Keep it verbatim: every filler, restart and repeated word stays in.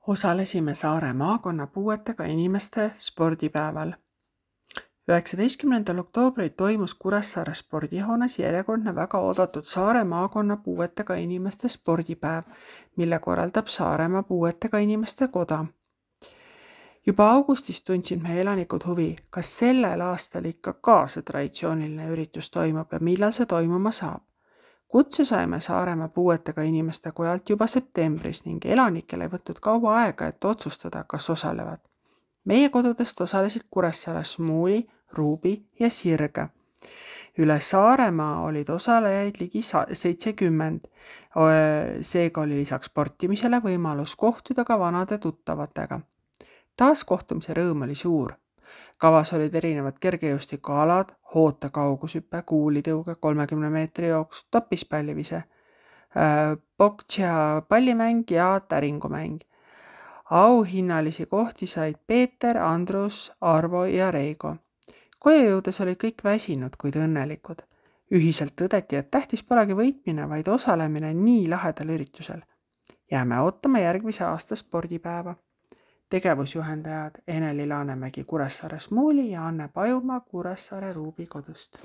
Osalesime Saare maakonna puuetega inimeste spordipäeval. üheksateistkümnendal oktoobril toimus Kuressaare spordihoones järjekordne väga oodatud Saare maakonna puuetega inimeste spordipäev, mille korraldab Saaremaa puuetega inimeste koda. Juba augustis tundsid meie elanikud huvi, kas sellel aastal ikka ka see traditsiooniline üritus toimub ja millal see toimuma saab. Kutse saime Saaremaa puuetega inimeste kojalt juba septembris ning elanikel ei võtnud kaua aega, et otsustada, kas osalevad. Meie kodudest osalesid Kuressaare Smuuli, Ruubi ja Sirge. Üle Saaremaa olid osalejaid ligi seitsekümmend. Seega oli lisaks sportimisele võimalus kohtuda ka vanade tuttavatega. Taas kohtumise rõõm oli suur. Kavas olid erinevad kergejõustikualad, hoota kaugushüpe, kuulitõuge, kolmekümne meetri jooks, topispallivise, boktsia pallimäng ja täringumäng. Auhinnalisi kohti said Peeter, Andrus, Arvo ja Reigo. Koju jõudes olid kõik väsinud, kuid õnnelikud. Ühiselt tõdeti, et tähtis polegi võitmine, vaid osalemine nii lahedal üritusel. Jääme ootama järgmise aasta spordipäeva. Tegevusjuhendajad Eneli Laanemägi Kuressaare Smuuli ja Anne Pajumaa Kuressaare Ruubi kodust.